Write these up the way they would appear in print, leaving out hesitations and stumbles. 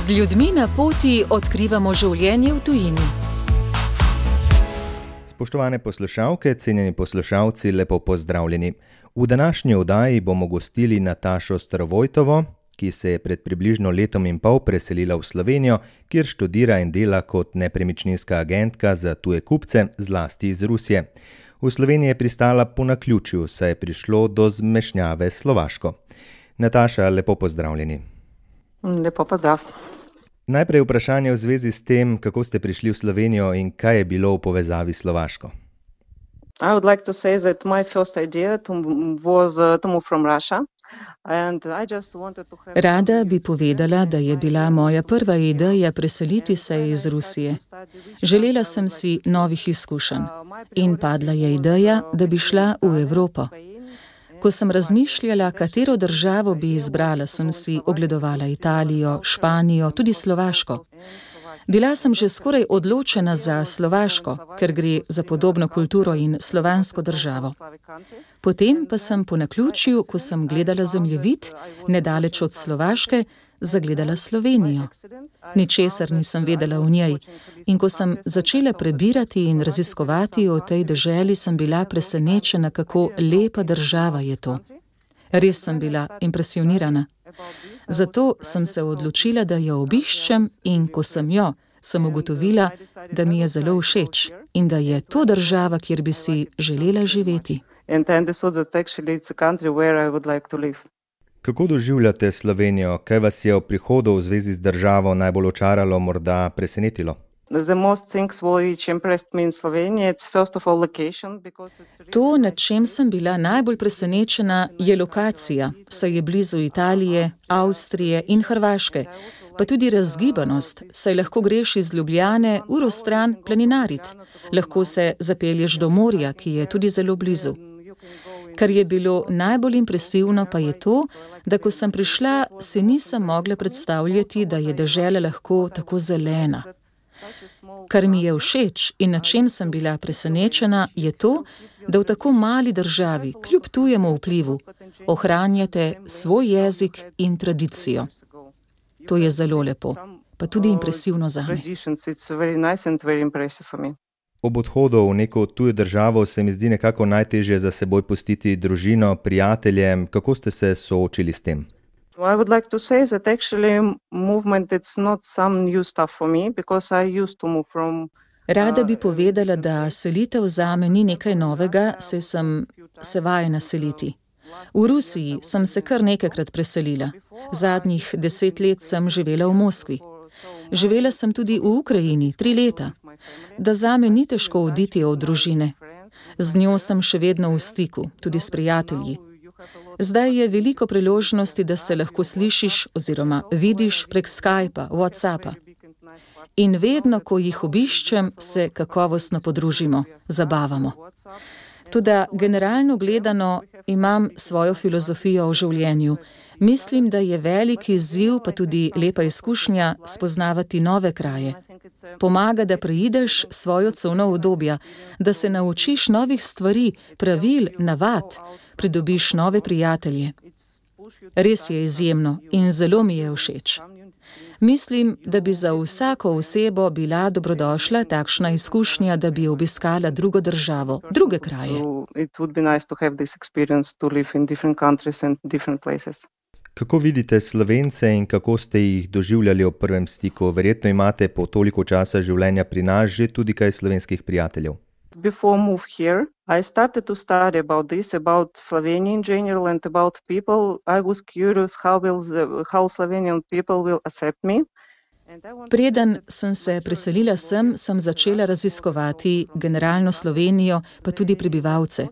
Z ljudmi na poti odkrivamo življenje v tujini. Spoštovane poslušalke, cenjeni poslušalci, lepo pozdravljeni. V današnji oddaji bomo gostili Natašo Starovojtovo, ki se je pred približno letom in pol preselila v Slovenijo, kjer študira in dela kot nepremičninska agentka za tuje kupce, zlasti iz Rusije. V Sloveniji je pristala po naključju, saj je prišlo do zmešnjave s Slovaško. Nataša, lepo pozdravljeni. Lepo pozdrav. Najprej vprašanje v zvezi s tem, kako ste prišli v Slovenijo in kaj je bilo v povezavi s Slovaško. I would like to say that my first idea was to move from Russia. Rada bi povedala, da je bila moja prva ideja preseliti se iz Rusije. Želela sem si novih izkušenj in padla je ideja, da bi šla v Evropo. Ko sem razmišljala, katero državo bi izbrala, sem si ogledovala Italijo, Španijo, tudi Slovaško. Bila sem že skoraj odločena za Slovaško, ker gre za podobno kulturo in slovansko državo. Potem pa sem po naključju, ko sem gledala zemljevid, nedaleč od Slovaške, zagledala Slovenijo. Ničesar nisem vedela o njej in ko sem začela prebirati in raziskovati o tej deželi, sem bila presenečena, kako lepa država je to. Res sem bila impresionirana. Zato sem se odločila, da jo obiščem in ko sem jo, sem ugotovila, da mi je zelo všeč in da je to država, kjer bi si želela živeti. Kako doživljate Slovenijo? Kaj vas je v prihodu v zvezi z državo najbolj očaralo, morda presenetilo? To, nad čem sem bila najbolj presenečena, je lokacija, saj je blizu Italije, Avstrije in Hrvaške, pa tudi razgibanost, saj lahko greš iz Ljubljane uro stran planinarit, lahko se zapelješ do morja, ki je tudi zelo blizu. Kar je bilo najbolj impresivno, pa je to, da ko sem prišla, si nisem mogla predstavljati, da je dežela lahko tako zelena. Kar mi je všeč in na čem sem bila presenečena, je to, da v tako mali državi, kljub tujemu vplivu, ohranjate svoj jezik in tradicijo. To je zelo lepo, pa tudi impresivno zame. Ob odhodu v neko tujo državo se mi zdi nekako najtežje za seboj pustiti družino, prijatelje. Kako ste se soočili s tem? I would like to say that actually movement it's not some new stuff for me because I used to move from Rada bi povedala, da selitev zame ni nekaj novega, saj sem se vajena seliti. V Rusiji sem se kar nekajkrat preselila. Zadnjih 10 let sem živela v Moskvi. Živela sem tudi v Ukrajini 3 leta. Da zame ni težko oditi od družine. Z njo sem še vedno v stiku, tudi s prijatelji. Zdaj je veliko priložnosti, da se lahko slišiš oziroma vidiš prek Skypa, WhatsAppa. In vedno, ko jih obiščem, se kakovostno podružimo, zabavamo. Toda generalno gledano imam svojo filozofijo o življenju. Mislim, da je velik izziv, pa tudi lepa izkušnja spoznavati nove kraje. Pomaga, da preideš svojo cono obdobja, da se naučiš novih stvari, pravil, navad, pridobiš nove prijatelje. Res je izjemno in zelo mi je všeč. Mislim, da bi za vsako osebo bila dobrodošla takšna izkušnja, da bi obiskala drugo državo, druge kraje. Kako vidite Slovence in kako ste jih doživljali ob prvem stiku? Verjetno imate po toliko časa življenja pri nas že tudi kaj slovenskih prijateljev. Before move here, I started to study about this, about Slovenia in general and about people. I was curious how Slovenian people will accept me. Preden sem se preselila sem začela raziskovati generalno Slovenijo, pa tudi prebivalce.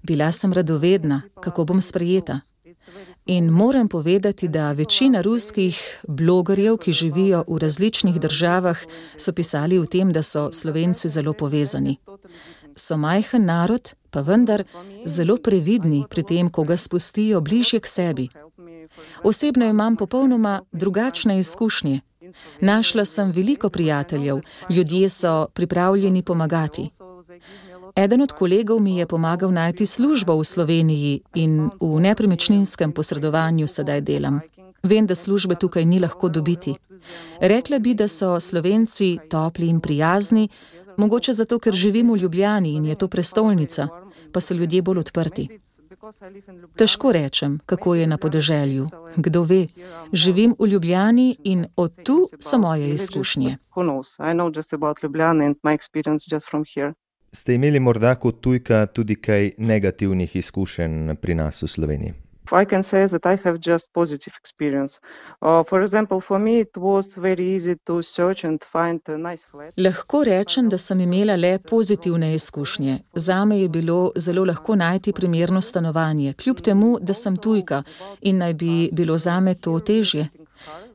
Bila sem radovedna, kako bom sprejeta. In moram povedati, da večina ruskih blogerjev, ki živijo v različnih državah, so pisali o tem, da so Slovenci zelo povezani. So majhen narod, pa vendar zelo previdni pri tem, ko ga spustijo bližje k sebi. Osebno imam popolnoma drugačne izkušnje. Našla sem veliko prijateljev, ljudje so pripravljeni pomagati. Eden od kolegov mi je pomagal najti službo v Sloveniji in v nepremičninskem posredovanju sedaj delam. Vem, da službe tukaj ni lahko dobiti. Rekla bi, da so Slovenci topli in prijazni, mogoče zato, ker živim v Ljubljani in je to prestolnica, pa so ljudje bolj odprti. Težko rečem, kako je na podeželju. Kdo ve, živim v Ljubljani in od tu so moje izkušnje. Ste imeli morda kot tujka tudi kaj negativnih izkušenj pri nas v Sloveniji? I can say that I have just positive experience. For example, for me it was very easy to search and find a nice flat. Lahko rečem, da sem imela le pozitivne izkušnje. Zame je bilo zelo lahko najti primerno stanovanje, kljub temu, da sem tujka in naj bi bilo zame to težje.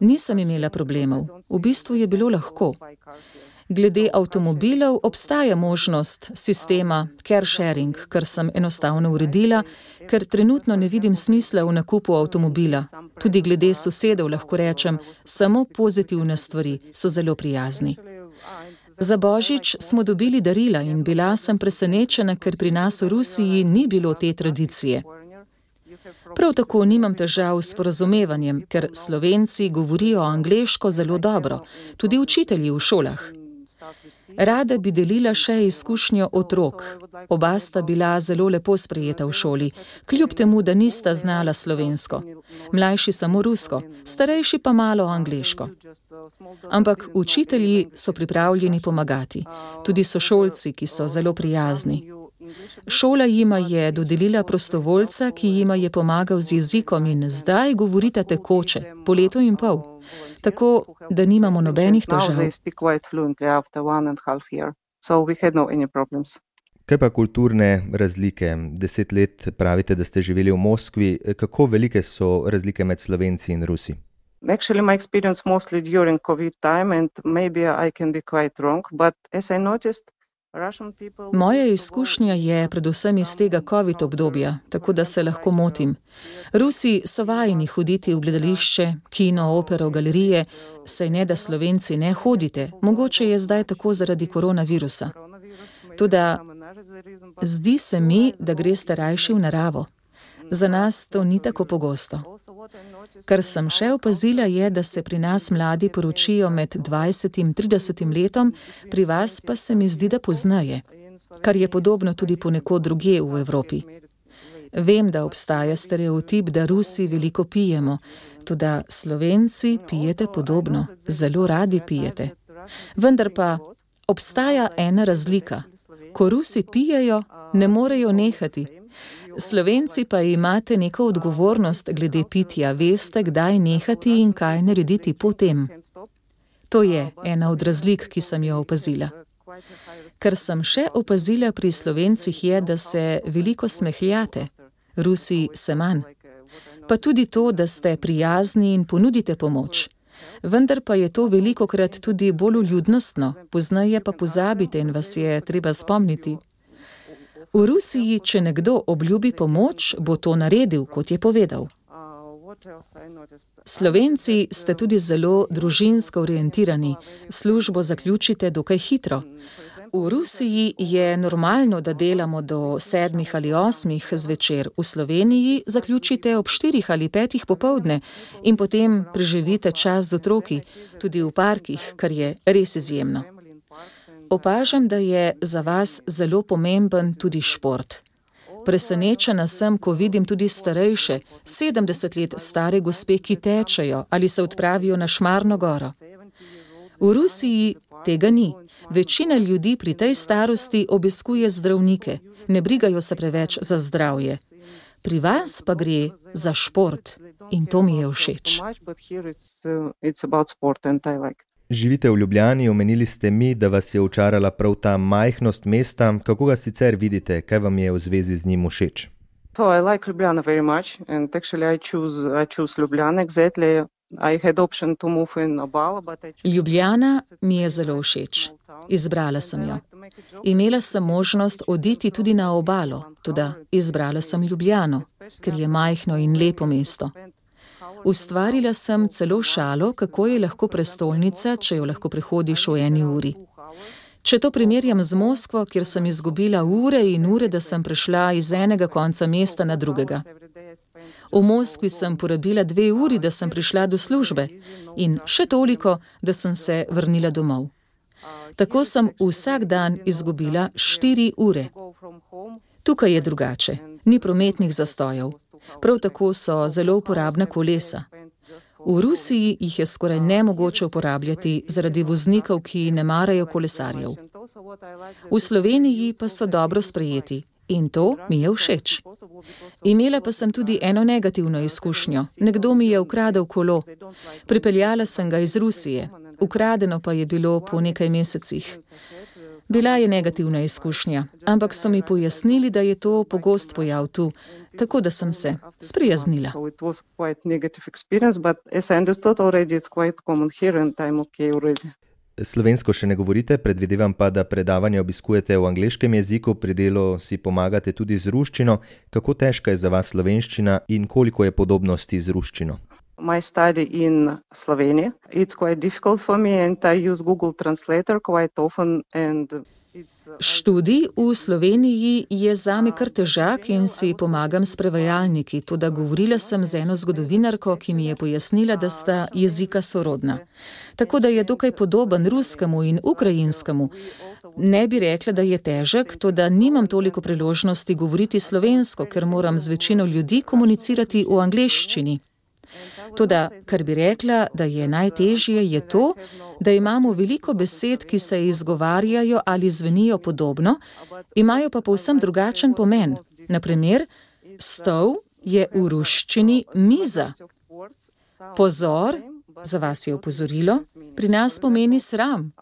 Nisem imela problemov. V bistvu je bilo lahko. Glede avtomobilov obstaja možnost sistema car sharing, kar sem enostavno uredila, ker trenutno ne vidim smisla v nakupu avtomobila. Tudi glede sosedov lahko rečem, samo pozitivne stvari, so zelo prijazni. Za Božič smo dobili darila in bila sem presenečena, ker pri nas v Rusiji ni bilo te tradicije. Prav tako nimam težav s sporazumevanjem, ker Slovenci govorijo angleško zelo dobro, tudi učitelji v šolah. Rada bi delila še izkušnjo otrok. Oba sta bila zelo lepo sprejeta v šoli, kljub temu, da nista znala slovensko. Mlajši samo rusko, starejši pa malo angleško. Ampak učitelji so pripravljeni pomagati, tudi sošolci, ki so zelo prijazni. Šola jima je dodelila prostovoljca, ki jima je pomagal z jezikom in zdaj govorita tekoče, po letu in pol. Tako, da nimamo nobenih težav. Kaj pa kulturne razlike? 10 let pravite, da ste živeli v Moskvi. Kako velike so razlike med Slovenci in Rusi? Actually, my experience mostly during COVID time and maybe I can be quite wrong, but as I noticed, Moja izkušnja je predvsem iz tega COVID obdobja, tako da se lahko motim. Rusi so vajeni hoditi v gledališče, kino, opero, galerije, saj ne da Slovenci ne hodite, mogoče je zdaj tako zaradi koronavirusa. Toda zdi se mi, da greste rajši v naravo. Za nas to ni tako pogosto. Kar sem še opazila je, da se pri nas mladi poročijo med 20 in 30 letom, pri vas pa se mi zdi, da poznaje, kar je podobno tudi ponekod drugje v Evropi. Vem, da obstaja stereotip, da Rusi veliko pijemo, toda Slovenci pijete podobno, zelo radi pijete. Vendar pa obstaja ena razlika. Ko Rusi pijejo, ne morejo nehati. Slovenci pa imate neko odgovornost glede pitja, veste, kdaj nehati in kaj narediti potem. To je ena od razlik, ki sem jo opazila. Kar sem še opazila pri Slovencih je, da se veliko smehljate, Rusi se manj. Pa tudi to, da ste prijazni in ponudite pomoč. Vendar pa je to velikokrat tudi bolj vljudnostno, pozneje pa pozabite in vas je treba spomniti. V Rusiji, če nekdo obljubi pomoč, bo to naredil, kot je povedal. Slovenci ste tudi zelo družinsko orientirani, službo zaključite dokaj hitro. V Rusiji je normalno, da delamo do 7 ali 8 zvečer, v Sloveniji zaključite ob 4 ali 5 popoldne in potem preživite čas z otroki, tudi v parkih, kar je res izjemno. Opažam, da je za vas zelo pomemben tudi šport. Presenečena sem, ko vidim tudi starejše, 70 let stare gospe, ki tečejo ali se odpravijo na Šmarno goro. V Rusiji tega ni. Večina ljudi pri tej starosti obiskuje zdravnike, ne brigajo se preveč za zdravje. Pri vas pa gre za šport in to mi je všeč. Živite v Ljubljani, omenili ste mi, da vas je očarala prav ta majhnost mesta. Kako ga sicer vidite? Kaj vam je v zvezi z njim všeč? I like Ljubljana very much and actually I choose Ljubljana exactly. I had option to move in Obala, but I chose... Ljubljana mi je zelo všeč. Izbrala sem jo. Imela sem možnost oditi tudi na obalo, toda izbrala sem Ljubljano, ker je majhno in lepo mesto. Ustvarila sem celo šalo, kako je lahko prestolnica, če jo lahko prehodiš v 1 uri. Če to primerjam z Moskvo, kjer sem izgubila ure in ure, da sem prišla iz enega konca mesta na drugega. V Moskvi sem porabila 2 uri, da sem prišla do službe in še toliko, da sem se vrnila domov. Tako sem vsak dan izgubila 4 ure. Tukaj je drugače, ni prometnih zastojev. Prav tako so zelo uporabna kolesa. V Rusiji jih je skoraj nemogoče uporabljati zaradi voznikov, ki ne marajo kolesarjev. V Sloveniji pa so dobro sprejeti in to mi je všeč. Imela pa sem tudi eno negativno izkušnjo. Nekdo mi je ukradel kolo. Pripeljala sem ga iz Rusije. Ukradeno pa je bilo po nekaj mesecih. Bila je negativna izkušnja, ampak so mi pojasnili, da je to pogost pojav tu, tako da sem se sprijaznila. Slovensko še ne govorite, predvidevam pa, da predavanje obiskujete v angleškem jeziku, pri delu si pomagate tudi z ruščino. Kako težka je za vas slovenščina in koliko je podobnosti z ruščino? My study in Slovenia. It's quite difficult for me and I use Google Translator quite often and Študij v Sloveniji je zame kar težak in si pomagam s prevajalniki, toda govorila sem z eno zgodovinarko, ki mi je pojasnila, da sta jezika sorodna. Tako da je dokaj podoben ruskemu in ukrajinskemu. Ne bi rekla, da je težek, toda nimam toliko priložnosti govoriti slovensko, ker moram z večino ljudi komunicirati v angleščini. Toda, kar bi rekla, da je najtežje, je to, da imamo veliko besed, ki se izgovarjajo ali zvenijo podobno, imajo pa povsem drugačen pomen. Na primer, stol je v ruščini miza. Pozor, za vas je opozorilo, pri nas pomeni sram.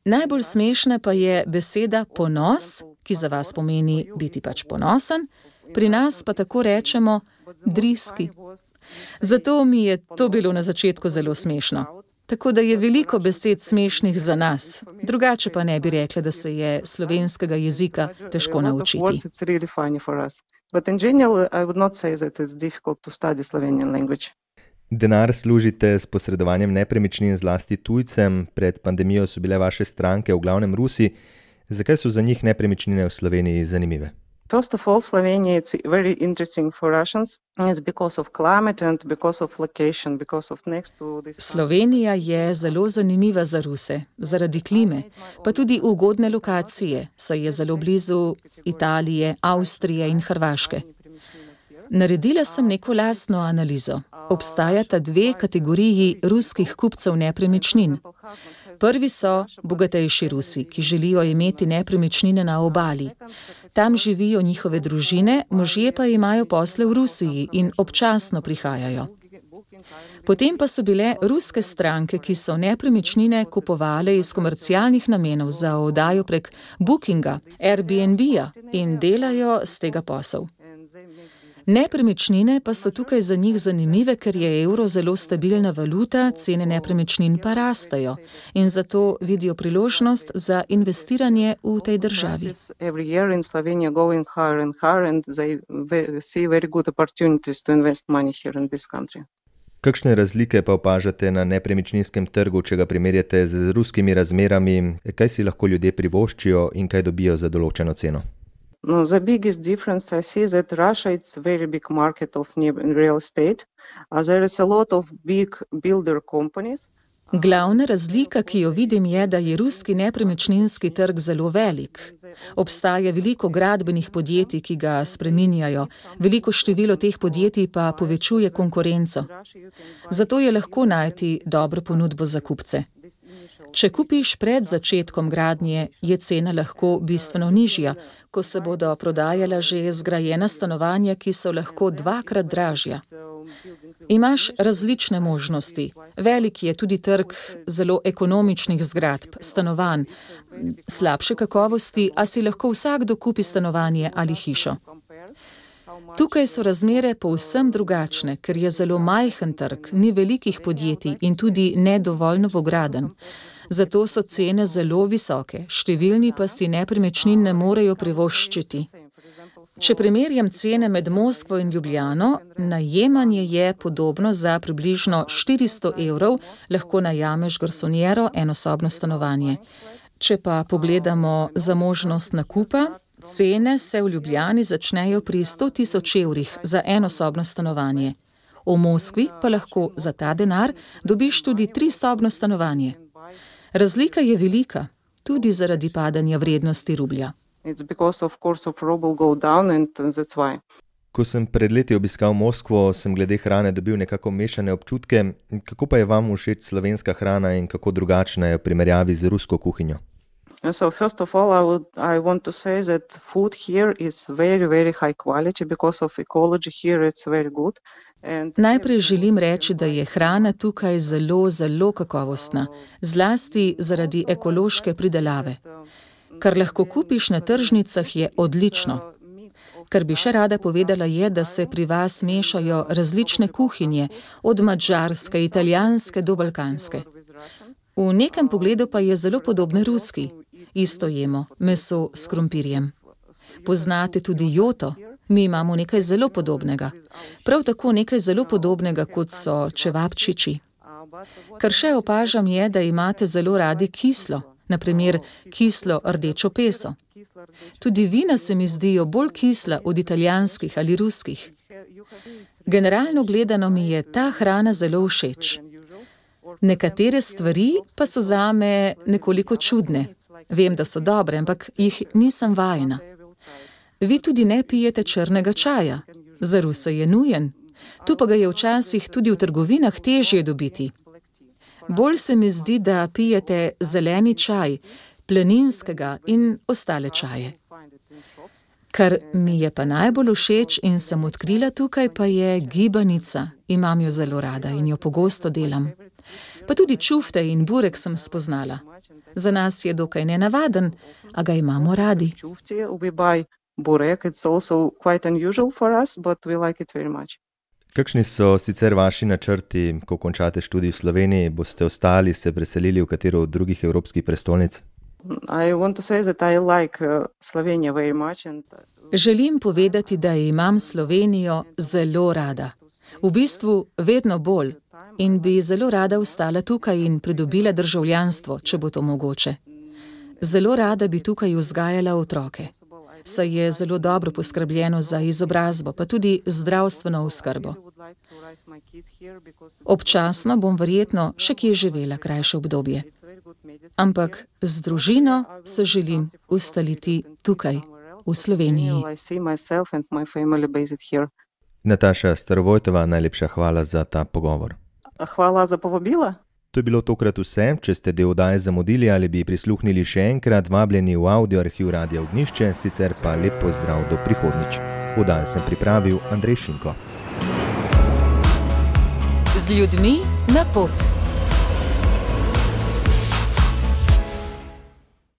Najbolj smešna pa je beseda ponos, ki za vas pomeni biti pač ponosen, pri nas pa tako rečemo driski. Zato mi je to bilo na začetku zelo smešno. Tako da je veliko besed smešnih za nas. Drugače pa ne bi rekla, da se je slovenskega jezika težko naučiti. Denar služite s posredovanjem nepremičnin zlasti tujcem. Pred pandemijo so bile vaše stranke v glavnem Rusi. Zakaj so za njih nepremičnine v Sloveniji zanimive? First of all, Slovenia is very interesting for Russians. It's because of climate and because of location, because of next to this. Slovenija je zelo zanimiva za Ruse, zaradi klime, pa tudi ugodne lokacije, saj je zelo blizu Italije, Avstrije in Hrvaške. Naredila sem neko lastno analizo. Obstajata 2 kategoriji ruskih kupcev nepremičnin. Prvi so bogatejši Rusi, ki želijo imeti nepremičnine na obali. Tam živijo njihove družine, možje pa imajo posle v Rusiji in občasno prihajajo. Potem pa so bile ruske stranke, ki so nepremičnine kupovale iz komercialnih namenov za oddajo prek Bookinga, Airbnb-ja in delajo z tega posel. Nepremičnine pa so tukaj za njih zanimive, ker je evro zelo stabilna valuta, cene nepremičnin pa rastejo in zato vidijo priložnost za investiranje v tej državi. Kakšne razlike pa opažate na nepremičninskem trgu, če ga primerjate z ruskimi razmerami? Kaj si lahko ljudje privoščijo in kaj dobijo za določeno ceno? The biggest difference I see that Russia is a very big market of real estate. There is a lot of big builder companies. Glavna razlika, ki jo vidim, je, da je ruski nepremičninski trg zelo velik. Obstaja veliko gradbenih podjetij, ki ga spreminjajo, veliko število teh podjetij pa povečuje konkurenco. Zato je lahko najti dobro ponudbo za kupce. Če kupiš pred začetkom gradnje, je cena lahko bistveno nižja, ko se bodo prodajala že zgrajena stanovanja, ki so lahko 2-krat dražja. Imaš različne možnosti. Velik je tudi trg zelo ekonomičnih zgradb, stanovanj, slabše kakovosti, a si lahko vsakdo kupi stanovanje ali hišo. Tukaj so razmere povsem drugačne, ker je zelo majhen trg, ni velikih podjetij in tudi ne dovolj novogradenj. Zato so cene zelo visoke, številni pa si nepremičnin ne morejo privoščiti. Če primerjam cene med Moskvo in Ljubljano, najemanje je podobno za približno 400 €, lahko najameš garsonjero, enosobno stanovanje. Če pa pogledamo za možnost nakupa, Cene se v Ljubljani začnejo pri 100.000 evrih za enosobno stanovanje. V Moskvi pa lahko za ta denar dobiš tudi 3-sobno stanovanje. Razlika je velika, tudi zaradi padanja vrednosti rublja. Ko sem pred leti obiskal Moskvo, sem glede hrane dobil nekako mešane občutke. Kako pa je vam všeč slovenska hrana in kako drugačna je v primerjavi z rusko kuhinjo? So first of all, I want to say that food here is very, very high quality because of ecology here it's very good. Najprej želim reči, da je hrana tukaj zelo, zelo kakovostna, zlasti zaradi ekološke pridelave. Kar lahko kupiš na tržnicah je odlično. Kar bi še rada povedala je, da se pri vas mešajo različne kuhinje, od madžarske, italijanske do balkanske. V nekem pogledu pa je zelo podobne ruski. Isto jemo, meso s krompirjem. Poznate tudi joto? Mi imamo nekaj zelo podobnega. Prav tako nekaj zelo podobnega, kot so čevapčiči. Kar še opažam je, da imate zelo radi kislo, na primer kislo rdečo peso. Tudi vina se mi zdijo bolj kisla od italijanskih ali ruskih. Generalno gledano mi je ta hrana zelo všeč. Nekatere stvari pa so zame nekoliko čudne. Vem, da so dobre, ampak jih nisem vajena. Vi tudi ne pijete črnega čaja. Za Ruse je nujen. Tu pa ga je včasih tudi v trgovinah težje dobiti. Bolj se mi zdi, da pijete zeleni čaj, planinskega in ostale čaje. Kar mi je pa najbolj všeč in sem odkrila tukaj, pa je gibanica. Imam jo zelo rada in jo pogosto delam. Pa tudi čufte in burek sem spoznala. Za nas je dokaj nenavaden, a ga imamo radi. Kakšni so sicer vaši načrti, ko končate študij v Sloveniji? Boste ostali, se preselili v katero od drugih evropskih prestolnic? Želim povedati, da imam Slovenijo zelo rada. V bistvu vedno bolj. In bi zelo rada ostala tukaj in pridobila državljanstvo, če bo to mogoče. Zelo rada bi tukaj vzgajala otroke. Saj je zelo dobro poskrbljeno za izobrazbo, pa tudi zdravstveno oskrbo. Občasno bom verjetno še kje živela krajše obdobje. Ampak z družino se želim ustaliti tukaj, v Sloveniji. Nataša Starovojtova, najlepša hvala za ta pogovor. Hvala za povabilo. To je bilo tokrat vse. Če ste del oddaje zamudili ali bi prisluhnili še enkrat, vabljeni v audio arhiv Radia Ognjišče, sicer pa lep pozdrav do prihodnjič. Oddajo sem pripravil Andrej Šinko. Z ljudmi na pot.